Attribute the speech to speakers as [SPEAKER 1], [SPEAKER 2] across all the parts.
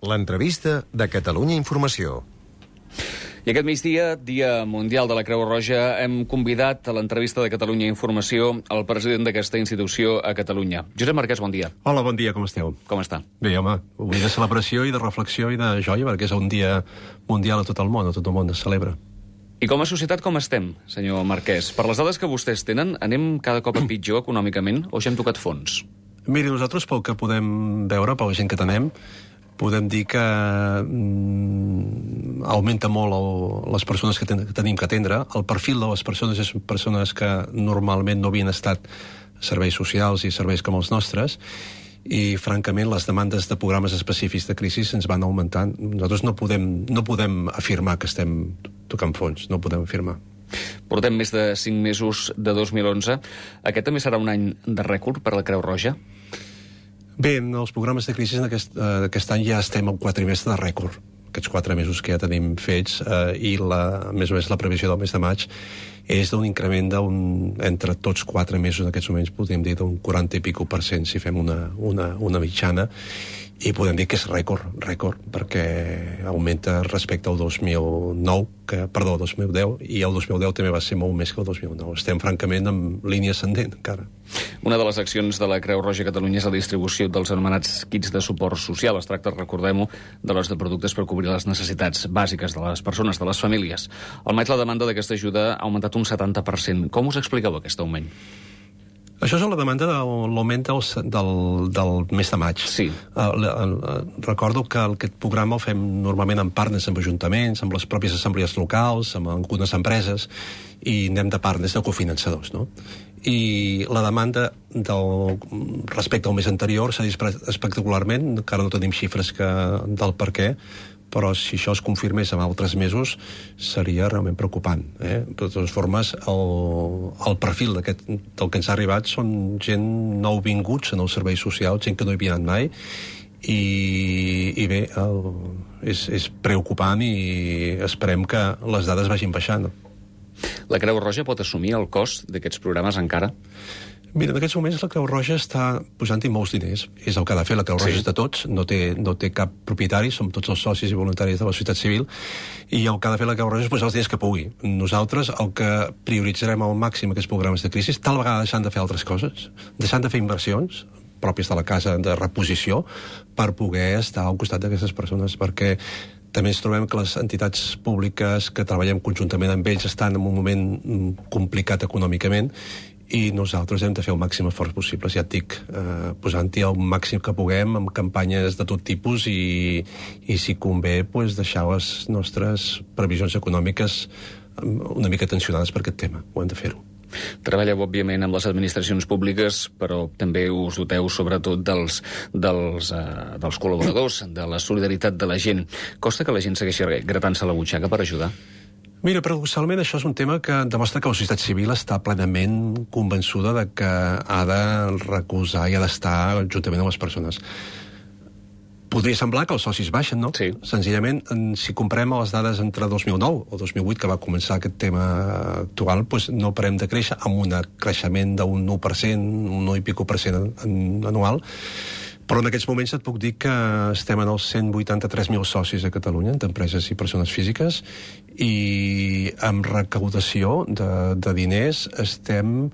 [SPEAKER 1] L'entrevista de Catalunya Informació.
[SPEAKER 2] I aquest migdia, Dia Mundial de la Creu Roja, hem convidat a l'entrevista de Catalunya Informació el president d'aquesta institució a Catalunya. Josep Marquès, bon dia.
[SPEAKER 3] Hola, bon dia, com esteu?
[SPEAKER 2] Com està?
[SPEAKER 3] Bé, home, un dia de celebració i de reflexió i de joia, perquè és un dia mundial a tot el món es celebra.
[SPEAKER 2] I com a societat com estem, senyor Marquès? Per les dades que vostès tenen, anem cada cop a pitjor econòmicament o ja hem tocat fons?
[SPEAKER 3] Miri, nosaltres, pel que podem veure, per la gent que tenem, podem dir que augmenta molt les persones que tenim que atendre. El perfil de les persones és persones que normalment no havien estat serveis socials i serveis com els nostres, i, francament, les demandes de programes específics de crisi ens van augmentant. Nosaltres no podem afirmar que estem tocant fons, no ho podem afirmar.
[SPEAKER 2] Portem més de 5 mesos de 2011. Aquest també serà un any de rècord per a la Creu Roja?
[SPEAKER 3] Bé, en els programes de crisi d'aquest any ja estem al quatrimestre de rècord. Aquests 4 mesos que ja tenim fets, i més o menys la previsió del mes de maig és d'un increment entre tots 4 mesos en aquests moments, podríem dir d'un 40 i pico % si fem una mitjana, i podem dir que és rècord, perquè augmenta respecte al 2010, i el 2010 també va ser molt més que el 2009. Estem, francament, en línia ascendent, encara.
[SPEAKER 2] Una de les accions de la Creu Roja a Catalunya és la distribució dels anomenats kits de suport social. Es tracta, recordem-ho, de l'os de productes per cobrir les necessitats bàsiques de les persones, de les famílies. Al maig la demanda d'aquesta ajuda ha augmentat un 70%. Com us expliqueu aquest augment?
[SPEAKER 3] Això és la demanda de l'augment del mes de maig.
[SPEAKER 2] Sí.
[SPEAKER 3] Recordo que aquest programa el fem normalment amb partners, amb ajuntaments, amb les pròpies assemblees locals, amb algunes empreses, i anem de partners, de cofinançadors, no? I la demanda respecte al mes anterior s'ha disparat espectacularment, encara no tenim xifres del per què, però si això es confirmés en altres mesos seria realment preocupant. De totes formes, el perfil del que ens ha arribat són gent nouvinguts en els serveis socials, gent que no hi havia anat mai, i bé, és preocupant, i esperem que les dades vagin baixant.
[SPEAKER 2] La Creu Roja pot assumir el cost d'aquests programes encara?
[SPEAKER 3] Mira, en aquests moments la Creu Roja està posant-hi molts diners. És el que ha de fer. La Creu Roja és de tots, no té cap propietari, som tots els socis i voluntaris de la societat civil, i el que ha de fer la Creu Roja és posar els diners que pugui. Nosaltres el que prioritzarem al màxim aquests programes de crisi, tal vegada deixant de fer altres coses, deixant de fer inversions pròpies de la casa de reposició, per poder estar al costat d'aquestes persones, perquè també ens trobem que les entitats públiques que treballem conjuntament amb ells estan en un moment complicat econòmicament, i nosaltres hem de fer el màxim esforç possible, ja et dic, posant-hi el màxim que puguem, amb campanyes de tot tipus, i si convé, deixar les nostres previsions econòmiques una mica tensionades per aquest tema. Ho hem de fer-ho.
[SPEAKER 2] Treballeu, òbviament, amb les administracions públiques, però també us doteu, sobretot, dels col·laboradors, de la solidaritat de la gent. Costa que la gent segueixi gratant-se la butxaca per ajudar?
[SPEAKER 3] Mira, paradoxalment, això és un tema que demostra que la societat civil està plenament convençuda de que ha de recolzar i ha d'estar juntament amb les persones. Podria semblar que els socis baixen, no?
[SPEAKER 2] Sí.
[SPEAKER 3] Senzillament, si comparem les dades entre 2009 o 2008, que va començar aquest tema actual, no parem de créixer, amb un creixement d'un 1%, un 1 i pico % anual. Però en aquests moments et puc dir que estem en els 183.000 socis a Catalunya, entre empreses i persones físiques, i amb recaudació de diners estem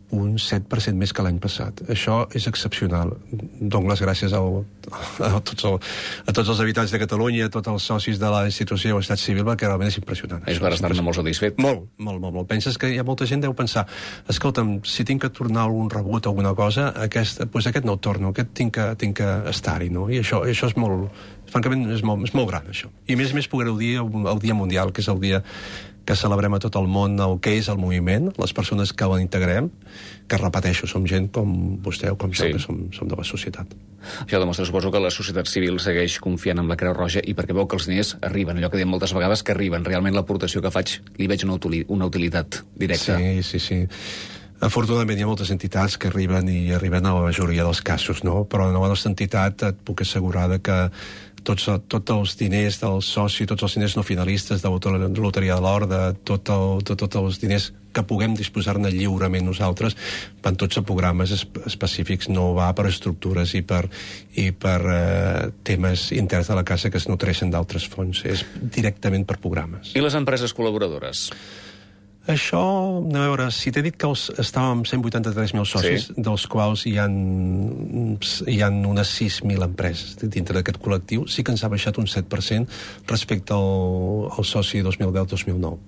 [SPEAKER 3] un 7% més que l'any passat. Això és excepcional. Dono les gràcies a tots els habitants de Catalunya, a tots els socis de la institució de l'estat civil, perquè realment és impressionant.
[SPEAKER 2] És per estar-ne molt satisfet.
[SPEAKER 3] Molt. Penses que hi ha molta gent que deu pensar, escolta'm, si tinc que tornar algun rebut o alguna cosa, aquest no el torno, aquest tinc que estar-hi, no? I això és molt, francament, és molt gran, això. I a més poder-ho dir el Dia Mundial, que és el dia que celebrem a tot el món el que és el moviment, les persones que l'integrem, que, repeteixo, som gent com vostè o com jo, que som de la societat.
[SPEAKER 2] Això demostra, suposo, que la societat civil segueix confiant en la Creu Roja, i perquè veu que els diners arriben, allò que diem moltes vegades, que arriben. Realment l'aportació que faig li veig una utilitat directa.
[SPEAKER 3] Sí. Afortunadament hi ha moltes entitats que arriben a la majoria dels casos, no? Però en la nostra entitat et puc assegurar que tots els diners del soci, tots els diners no finalistes de la Loteria de l'Or, de tots els diners que puguem disposar-ne lliurement nosaltres, van tots a programes específics, no va per estructures i per temes interns de la casa que es nutreixen d'altres fons, és directament per programes.
[SPEAKER 2] I les empreses col·laboradores?
[SPEAKER 3] Això, anem a veure, si t'he dit que estàvem amb 183.000 socis, dels quals hi ha unes 6.000 empreses dintre d'aquest col·lectiu, sí que ens ha baixat un 7% respecte al soci 2010-2009.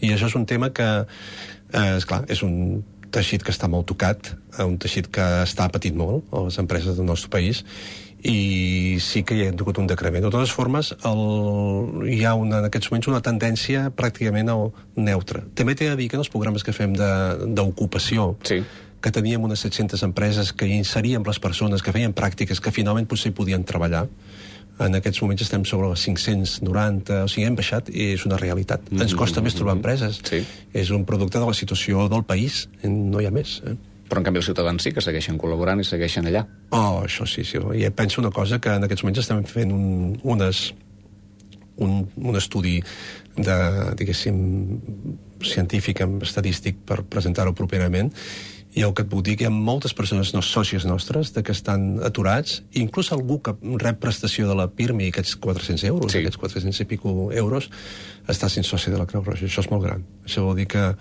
[SPEAKER 3] I això és un tema que, esclar, és un teixit que està molt tocat, un teixit que està patit molt a les empreses del nostre país, i sí que hi ha hagut un decrement. De totes formes, hi ha en aquests moments una tendència pràcticament neutra. També t'he de dir que en els programes que fem d'ocupació, que teníem unes 700 empreses que inseríem les persones, que feien pràctiques, que finalment potser podien treballar, en aquests moments estem sobre les 590, o sigui, hem baixat i és una realitat. Ens costa més trobar empreses. És un producte de la situació del país, no hi ha més.
[SPEAKER 2] Però, en canvi, els ciutadans sí que segueixen col·laborant i segueixen allà.
[SPEAKER 3] Això sí. I penso una cosa, que en aquests moments estem fent un estudi diguéssim, científic, estadístic, per presentar-ho properament, i el que et puc dir que hi ha moltes persones sòcies nostres que estan aturats, inclús algú que rep prestació de la PIRMI, aquests 400 euros, aquests 400 i pico euros, està sent soci de la Creu Roja. Això és molt gran. Això vol dir que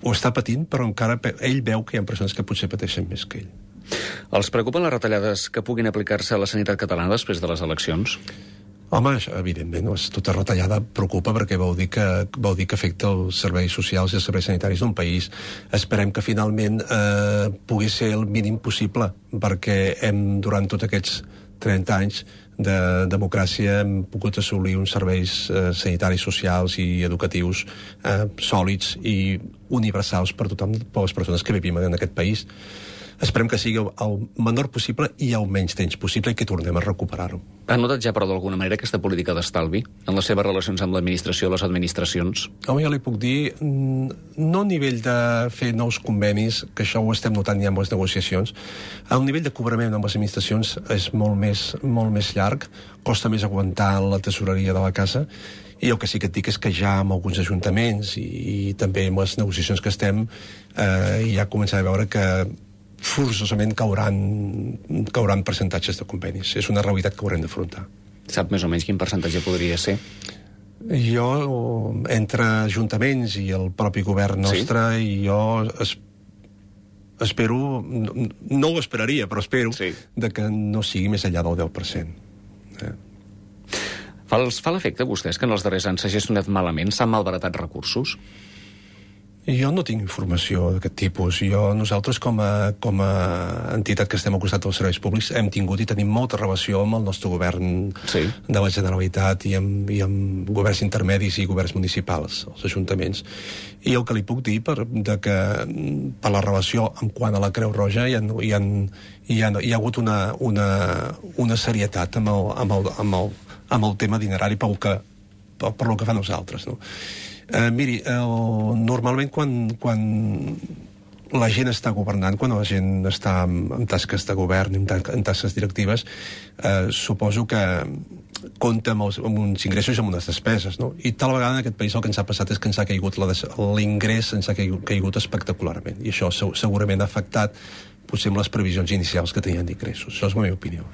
[SPEAKER 3] ho està patint, però encara ell veu que hi ha persones que potser pateixen més que ell.
[SPEAKER 2] Els preocupen les retallades que puguin aplicar-se a la sanitat catalana després de les eleccions?
[SPEAKER 3] Home, evidentment, tota retallada preocupa perquè vol dir que afecta els serveis socials i els serveis sanitaris d'un país. Esperem que finalment pugui ser el mínim possible, perquè durant tots aquests 30 anys de democràcia hem pogut assolir uns serveis sanitaris, socials i educatius sòlids i universals per tothom, per les persones que vivim en aquest país. Esperem que sigui el menor possible i el menys temps possible i que tornem a recuperar-ho.
[SPEAKER 2] Ha notat ja, però, d'alguna manera, aquesta política d'estalvi en les seves relacions amb l'administració o les administracions?
[SPEAKER 3] Home, jo li puc dir, no a nivell de fer nous convenis, que això ho estem notant ja amb les negociacions, el nivell de cobrament amb les administracions és molt més llarg, costa més aguantar la tesoreria de la casa, i el que sí que et dic és que ja amb alguns ajuntaments i també amb les negociacions que estem ja començarem a veure que forçosament cauran percentatges de convenis. És una realitat que haurem d'afrontar.
[SPEAKER 2] Sap més o menys quin percentatge podria ser?
[SPEAKER 3] Jo, entre ajuntaments i el propi govern nostre, jo espero, no ho esperaria, però espero de que no sigui més enllà del 10%.
[SPEAKER 2] Fa l'efecte, vostès, que en els darrers anys s'ha gestionat malament, s'han malbaratat recursos?
[SPEAKER 3] Jo no tinc informació d'aquest tipus. Nosaltres, com a entitat que estem al costat dels serveis públics, hem tingut i tenim molta relació amb el nostre govern de la Generalitat i amb governs intermedis i governs municipals, els ajuntaments. I el que li puc dir per la relació en quant a la Creu Roja hi ha hagut una serietat amb el tema dinerari per lo que fan els altres, no? Miri, normalment quan la gent està governant, quan la gent està en tasques de govern, en tasques directives, suposo que compta amb uns ingressos i amb unes despeses, no? I tal vegada en aquest país el que ens ha passat és que ens ha caigut l'ingrés, ens ha caigut espectacularment, i això segurament ha afectat potser amb les previsions inicials que tenien d'ingressos. Això és la meva opinió.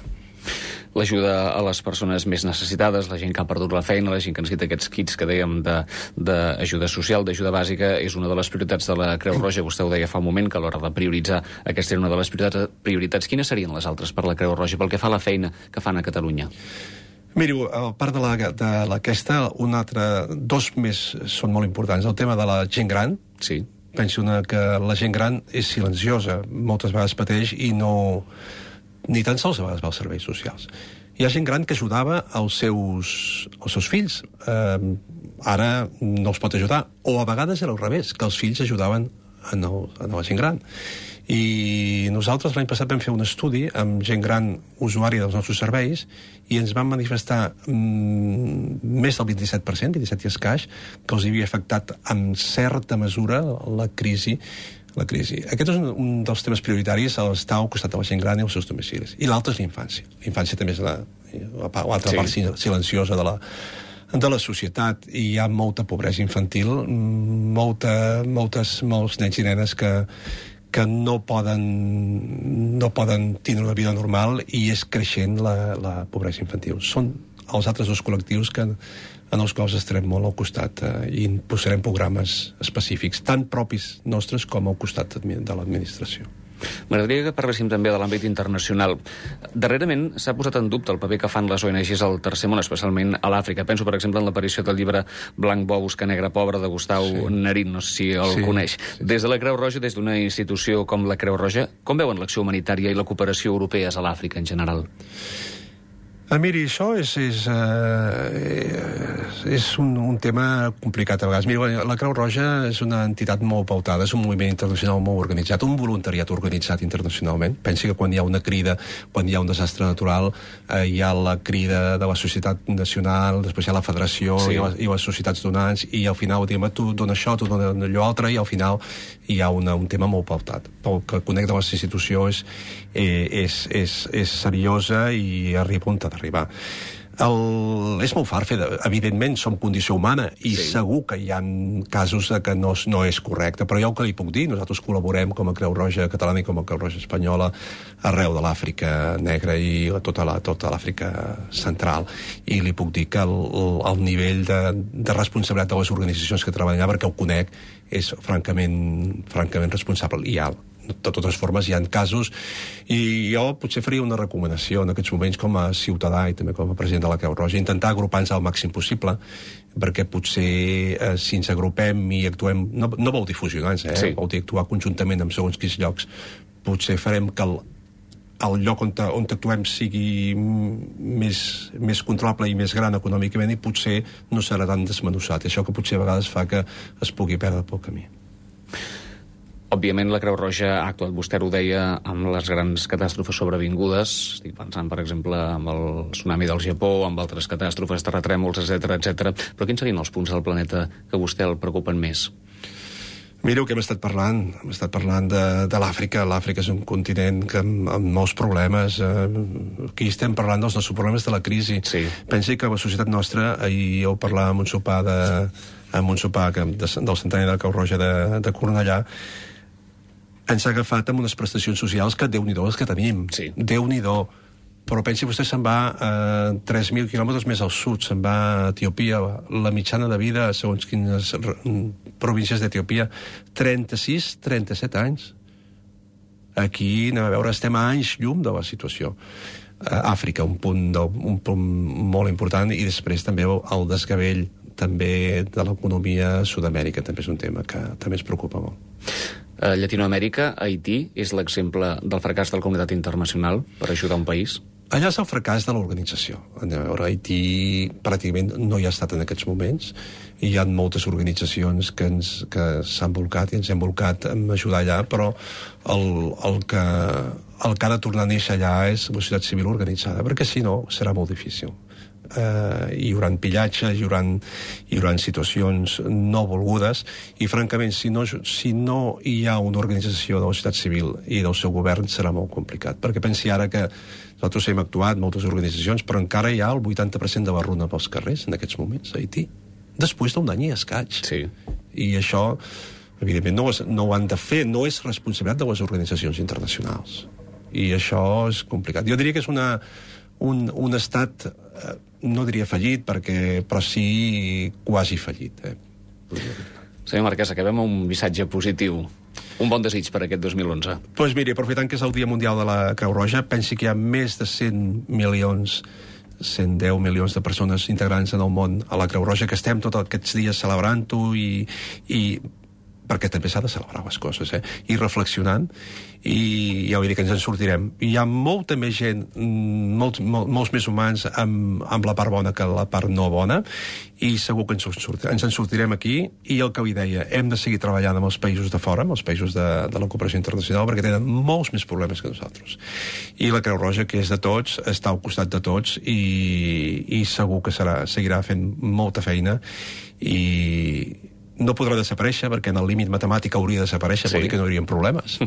[SPEAKER 2] L'ajuda a les persones més necessitades, la gent que ha perdut la feina, la gent que necessita aquests kits que dèiem d'ajuda social, d'ajuda bàsica, és una de les prioritats de la Creu Roja. Vostè ho deia fa un moment, que a l'hora de prioritzar aquesta era una de les prioritats. Quines serien les altres per la Creu Roja, pel que fa a la feina que fan a Catalunya?
[SPEAKER 3] Miri, a part d'aquesta, dos més són molt importants. El tema de la gent gran.
[SPEAKER 2] Sí.
[SPEAKER 3] Penso que la gent gran és silenciosa, moltes vegades pateix i ni tan sols a vegades va als serveis socials. Hi ha gent gran que ajudava els seus fills. Ara no els pot ajudar. O a vegades era al revés, que els fills ajudaven a la gent gran. I nosaltres l'any passat vam fer un estudi amb gent gran usuària dels nostres serveis i ens van manifestar més del 27%, 27 i escaix, que els havia afectat en certa mesura la crisi. Aquest és un dels temes prioritaris, estar al costat de la gent gran i els seus domicilis. I l'altre és la infància. La infància també és l'altra part silenciosa de la societat. I hi ha molta pobresa infantil, molts nens i nenes que no poden tenir una vida normal, i és creixent la pobresa infantil. Són els altres dos col·lectius en els quals estarem molt al costat, i posarem programes específics, tant propis nostres com al costat de l'administració.
[SPEAKER 2] M'agradaria que parléssim també de l'àmbit internacional. Darrerament s'ha posat en dubte el paper que fan les ONGs al tercer món, especialment a l'Àfrica. Penso, per exemple, en l'aparició del llibre Blanc bo busca negre pobre de Gustau Narín, no sé si el coneix. Des de la Creu Roja, des d'una institució com la Creu Roja, com veuen l'acció humanitària i la cooperació europees a l'Àfrica en general?
[SPEAKER 3] Miri, això és un tema complicat a vegades. Mira, la Creu Roja és una entitat molt pautada, és un moviment internacional molt organitzat, un voluntariat organitzat internacionalment. Pensi que quan hi ha una crida, quan hi ha un desastre natural, hi ha la crida de la societat nacional, després hi ha la federació i les societats donants, i al final diem, tu dona això, tu dona allò altre, i al final hi ha un tema molt pautat. Pel que conec de les institucions és seriosa i arriba on ha d'arribar. És molt fart fer, evidentment som condició humana i segur que hi ha casos que no és correcte, però jo el que li puc dir, nosaltres col·laborem com a Creu Roja Catalana i com a Creu Roja Espanyola arreu de l'Àfrica negra i tota l'Àfrica central, i li puc dir que el nivell de responsabilitat de les organitzacions que treballen allà, perquè ho conec, és francament responsable i alt. De totes formes, hi ha casos, i jo potser faria una recomanació en aquests moments com a ciutadà i també com a president de la Creu Roja, intentar agrupar-nos al màxim possible, perquè potser si ens agrupem i actuem, no vol dir fusionar-nos, vol dir actuar conjuntament en segons quins llocs, potser farem que el lloc on actuem sigui més controlable i més gran econòmicament, i potser no serà tan desmenussat. Això que potser a vegades fa que es pugui perdre pel camí.
[SPEAKER 2] Òbviament, la Creu Roja ha actuat, vostè ho deia, amb les grans catàstrofes sobrevingudes. Estic pensant, per exemple, amb el tsunami del Japó, amb altres catàstrofes, terratrèmols, etc. Però quins serien els punts del planeta que a vostè el preocupen més?
[SPEAKER 3] Mireu que hem estat parlant de l'Àfrica. L'Àfrica és un continent amb molts problemes. Aquí estem parlant dels nostres problemes de la crisi. Pensi que la societat nostra, ahir jo parlava amb un sopar del centenari de la Creu Roja de Cornellà, ens ha agafat amb unes prestacions socials que Déu-n'hi-do les que tenim. Déu-n'hi-do. Però pensi vostè, se'n va 3.000 quilòmetres més al sud, se'n va a Etiòpia. La mitjana de vida, segons quines províncies d'Etiòpia, 36-37 anys. Aquí, anem a veure, estem a anys llum de la situació. Àfrica, un punt molt important, i després també el desgavell també de l'economia a Sud-amèrica, també és un tema que també ens preocupa molt.
[SPEAKER 2] A Llatinoamèrica, Haití és l'exemple del fracàs de la comunitat internacional per ajudar un país?
[SPEAKER 3] Allà és el fracàs de l'organització. A veure, Haití pràcticament no hi ha estat en aquests moments, i hi ha moltes organitzacions que s'han volcat i ens hem volcat a ajudar allà, però el que ha de tornar a néixer allà és la societat civil organitzada, perquè si no serà molt difícil. Hi haurà pillatges, hi haurà situacions no volgudes, i francament si no hi ha una organització de la societat civil i del seu govern serà molt complicat, perquè pensi ara que nosaltres hem actuat, moltes organitzacions, però encara hi ha el 80% de la runa pels carrers en aquests moments a Haití, després d'un any i escaig. I això evidentment no ho han de fer, no és responsabilitat de les organitzacions internacionals, i això és complicat. Jo diria que és un estat, no diria fallit, però sí quasi fallit.
[SPEAKER 2] Senyor Marquès, acabem amb un missatge positiu. Un bon desig per aquest 2011.
[SPEAKER 3] Doncs miri, aprofitant que és el Dia Mundial de la Creu Roja, pensi que hi ha més de 110 milions de persones integrants en el món a la Creu Roja, que estem tots aquests dies celebrant-ho, i perquè també s'ha de celebrar les coses, i reflexionant, i ja vull dir que ens en sortirem. Hi ha molta més gent, molts més humans amb la part bona que la part no bona, i segur que ens en sortirem aquí, i el que li deia, hem de seguir treballant amb els països de fora, amb els països de la cooperació internacional, perquè tenen molts més problemes que nosaltres. I la Creu Roja, que és de tots, està al costat de tots, i segur que seguirà fent molta feina, no podrà desaparèixer, perquè en el límit matemàtic hauria de desaparèixer, vol dir que no hi haurien problemes,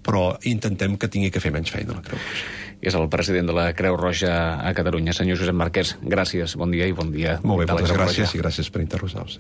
[SPEAKER 3] però intentem que tingui que fer menys feina la Creu Roja.
[SPEAKER 2] És el president de la Creu Roja a Catalunya, senyor Josep Marquès. Gràcies, bon dia i bon dia.
[SPEAKER 3] Molt bé, moltes gràcies i gràcies per interrogar-vos.